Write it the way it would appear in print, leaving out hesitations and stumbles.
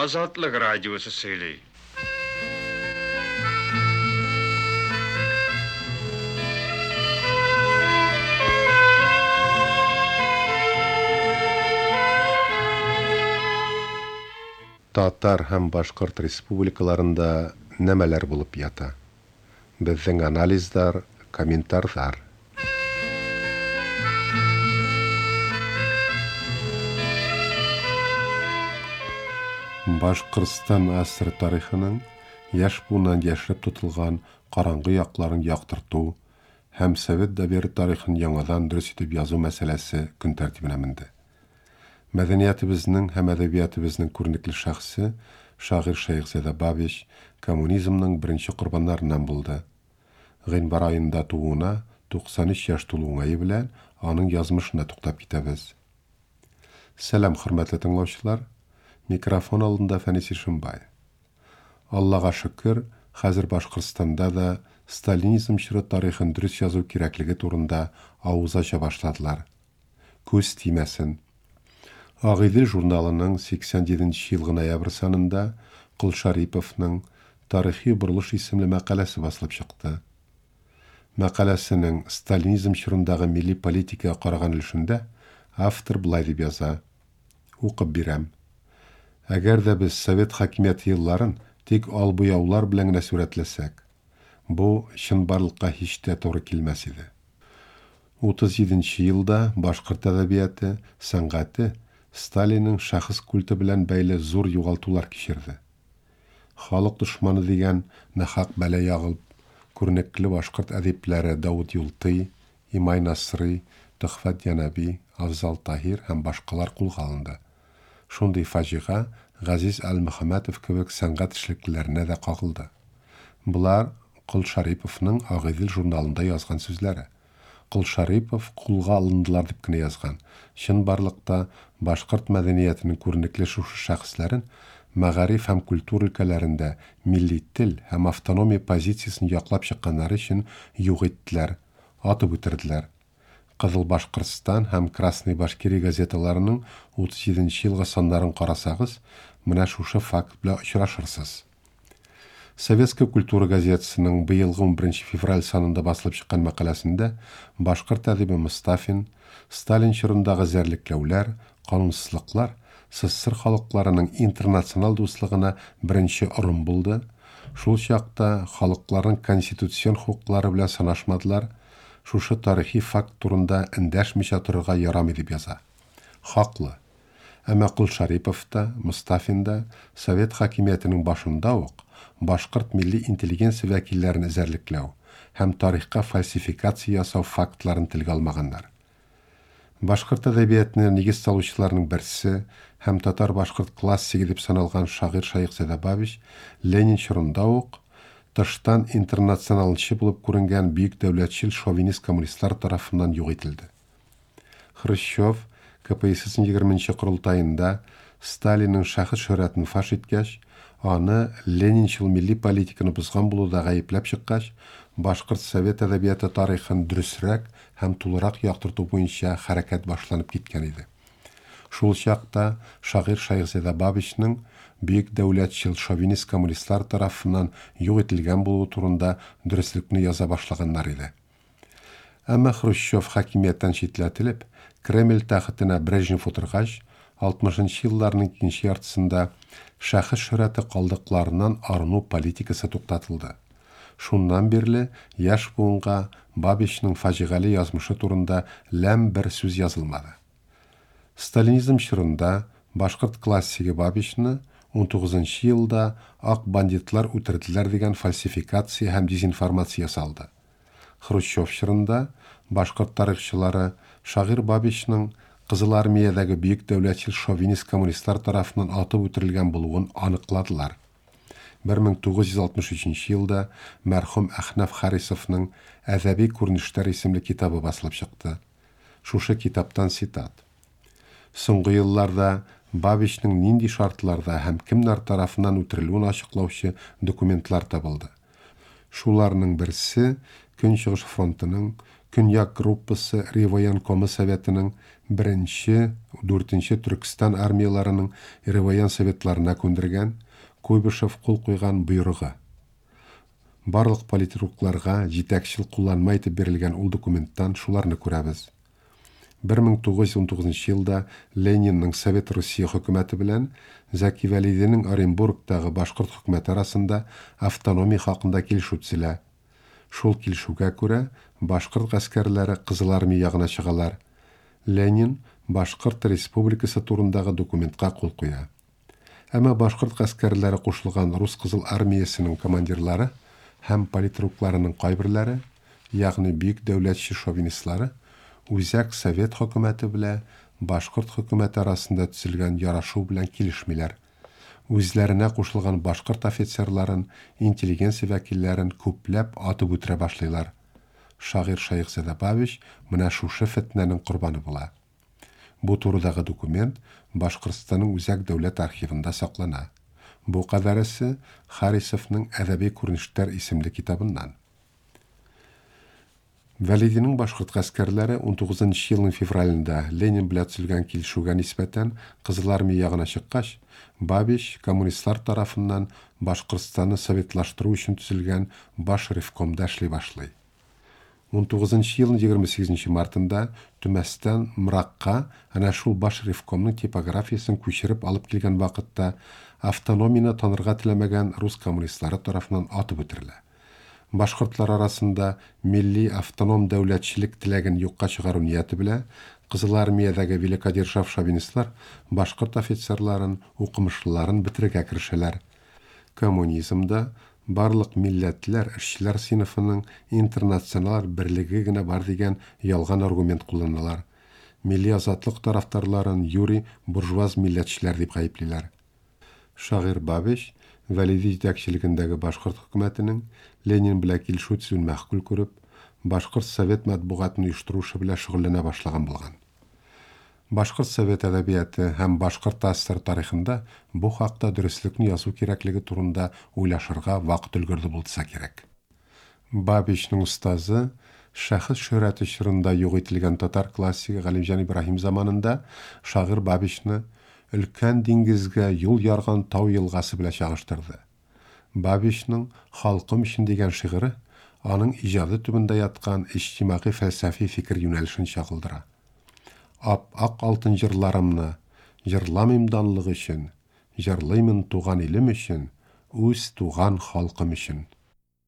Азатлык радиосы сөйли. Татар һәм Башкорт республикаларында нәмәләр булып ята? Безнең анализлар, комментарлар. Башкортстан АССР тарихының яшь буыннан яшереп тотылган караңгы якларын яктырту һәм совет дәвере тарихын яңадан дөрес итеп язу мәсьәләсе көн тәртибенә менде. Мәдәниятебезнең һәм әдәбиятебезнең күренекле шәхесе, шагыйрь Шәехзадә Бабич коммунизмның беренче корбаннарыннан булды. Гыйнвар аенда тууына 93 яшь тулу уңае белән аның язмышына туктап китәбез. Сәлам, хөрмәтле тыңлаучылар! Микрофон алдында Фәнис Ишембай. Аллага шөкер, хәзер Башкортстанда да сталинизм чоры тарихын дөрес язу кирәклеге турында авыз ача башладылар. Күз тимәсен. Агыйдел журналының 87 нче елгы ноябрь санында Колшариповның Тарихи борылыш исемле мәкаләсе басылып чыкты. Мәкаләсенең сталинизм чорындагы милли политикага караган өлешендә автор болай дип яза, Укып бирәм. Әгәр дә без совет хакимияте елларын тик ал-буяулар белән генә сурәтләсәк, бу чынбарлыкка һич тә туры килмәс иде. 37 нче елда башкорт әдәбияты, сәнгате Сталинның шәхес культы белән бәйле зур югалтулар кичерде. Халык дошманы дигән нахак бәла ягылып, күренекле башкорт әдипләре Давыт Юлтый, Имай Насрый, Төхфәт Янәби, Афзал Таһир һәм башкалар кулга алынды. Шундый фаҗига Газиз Әлмөхәммәтов кебек сәнгать эшлеклеләренә дә кагылды. Болар Колшариповның Агыйдел журналында язган сүзләре. Колшарипов кулга алындылар дип кенә язган. Чынбарлыкта башкорт мәдәниятенең күренекле шушы шәхесләрен мәгариф һәм культура өлкәләрендә милли тел һәм автономия позициясен яклап чыкканнары өчен юк иттеләр, атып үтерделәр. Кызыл Башкортстан һәм Красная Башкирия газеталарының 37 нче елгы саннарын карасагыз, менә шушы факт белән очрашырсыз. Советская культура газетасының быелгы унберенче февраль санында басылып чыккан мәкаләсендә башкорт әдибе Мостафин Сталин чорындагы эзәрлекләүләр, канунсызлыклар СССР халыкларының интернационал дуслыгына беренче орым булды, шул чакта халыкларның конституцион хокуклары белән санашмадылар, шушы тарихи факт турында эндәшмичә торырга ярамый дип яза. Хаклы. Әмма Колшарипов та, Мостафин да совет хакимиятенең башында ук башкорт милли интеллигенция вәкилләрен эзәрлекләү һәм тарихка фальсификация ясау фактларын телгә алмаганнар. Башкорт әдәбиятына нигез салучыларның берсе һәм татар-башкорт классигы дип саналган шагыйрь Шәехзадә Бабич Ленин чорында ук тыштан интернационалчы булып күренгән бөек дәүләтчел шовинист-коммунистлар тарафыннан юк ителде. Хрущев КПССның егерменче корылтаенда Сталинның шәхес шөһрәтен фаш иткәч, аны ленинчыл милли политиканы бозган булуда гаепләп чыккач, башкорт совет әдәбияты тарихын дөресрәк һәм тулырак яктырту буенча хәрәкәт башланып киткән иде. Шул чакта шагыйрь Шәехзадә Бабичның бөек дәүләтчел шовинист-коммунистлар тарафыннан юк ителгән булуы турында дөреслекне яза башлаганнар иде. Әмма Хрущев хакимияттән читләтелеп, Кремль тәхетенә Брежнев утыргач, алтмышынчы елларның икенче яртысында шәхес шөһрәте калдыкларыннан арыну политикасы туктатылды. Шуннан бирле яшь буынга Бабичның фаҗигале язмышы турында ләм бер сүз язылмады. Сталинизм чорында башкорт классигы Бабичны унтугызынчы елда ак бандитлар үтерделәр дигән фальсификация һәм дезинформация ясалды. Хрущев чорында башкорт тарихчылары шагыйрь Бабичның Кызыл Армиядәге бөек дәүләтчел шовинист-коммунистлар тарафыннан атып үтерелгән булуын аныкладылар. 1963 елда мәрхүм Әхнәф Харисовның Әдәби күренешләр исемле китабы басылып чыкты. Шушы китаптан цитат. Соңгы елларда Бабичның нинди шартларда һәм кемнәр тарафыннан үтерелүен ачыклаучы документлар табылды. Шуларның берсе Көнчыгыш фронтының Көньяк группасы Реввоенкомы Советының беренче, дүртенче Төркстан армияләренең Реввоен Советларына күндергән, Куйбышев кул куйган боерыгы. Барлык политрукларга җитәкчел кулланма итеп бирелгән ул документтан шуларны күрәбез. 1919 елда Ленинның Совет Русия хөкүмәте белән Зәки Вәлидинең Оренбургтагы башкорт хөкүмәте арасында автономия хакында килешү төзелә. Шул килешүгә күрә, башкорт гаскәрләре Кызыл Армия ягына чыгалар. Ленин Башкорт республикасы турындагы документка кул куя. Әмма башкорт гаскәрләре кушылган рус Кызыл Армиясенең командирлары һәм политрукларының кайберләре, ягъни бөек дәүләтче шовинистлары, Үзәк Совет хөкүмәте белә башкорт хөкүмәте арасында төзелгән ярашу белән килешмиләр. Үзләренә кушылган башкорт офицерларын, интеллигенция вәкилләрен күпләп атып үтерә башлыйлар. Шагыйрь Шәехзадә Бабич менә шушы фетнәнең корбаны була. Бу турыдагы документ Башкортстанның Үзәк дәүләт архивында саклана. Бу кадәресе Харисовның Әдәби күренешләр исемле китабыннан. Вәлидинең башкорт гаскәрләре унтугызынчы елның февралендә Ленин белә төзелгән килешүгә нисбәтән Кызыл Армия ягына чыккач, Бабич коммунистлар тарафыннан Башкортстанны советлаштыру өчен төзелгән Баш ревкомда эшли башлый. Унтугызынчы елның 28 нче мартында Төмәстән Мракка әнә шул Баш ревкомның типографиясен күчереп алып килгән вакытта автономияне танырга теләмәгән рус коммунистлары тарафыннан атып үтерелә. Башкортлар арасында милли автоном дәүләтчелек теләген юкка чыгару нияте белә Кызыл Армиядәге великодержав шовинистлар башкорт офицерларын, укымышлыларын бетерергә керешәләр. Коммунизмда барлык милләтләр, эшчеләр сыйныфының интернациональ берлеге генә бар дигән ялган аргумент кулланалар. Милли азатлык тарафдарларын юри буржуаз милләтчеләр дип гаеплиләр. Шагыйрь Бабич, Вәлиди җитәкчелегендәге башкорт хөкүмәтенең Ленин белән килешү төзүен мәгъкуль күреп, башкорт совет матбугатын оештыру эше белән шөгыльләнә башлаган булган. Башкорт совет әдәбияты һәм Башкорт АССР тарихында бу хакта дөреслекне язу кирәклеге турында уйлашырга вакыт өлгерде булдса кирәк. Бабичның остазы, шәхес шөһрәте чорында юк ителгән татар классигы Галимҗан Ибраһим заманында шагыйрь Бабичны өлкән диңгезгә юл ярган тау елгасы белән чагыштырды. Бабичның Халкым өчен дигән шигыре аның иҗады төбендә яткан иҗтимагый-фәлсәфи фикер юнәлешен чагылдыра. Ап-ак алтын җырларымны Җырламыйм данлык өчен, Җырлыймын туган илем өчен, Үз туган халкым өчен.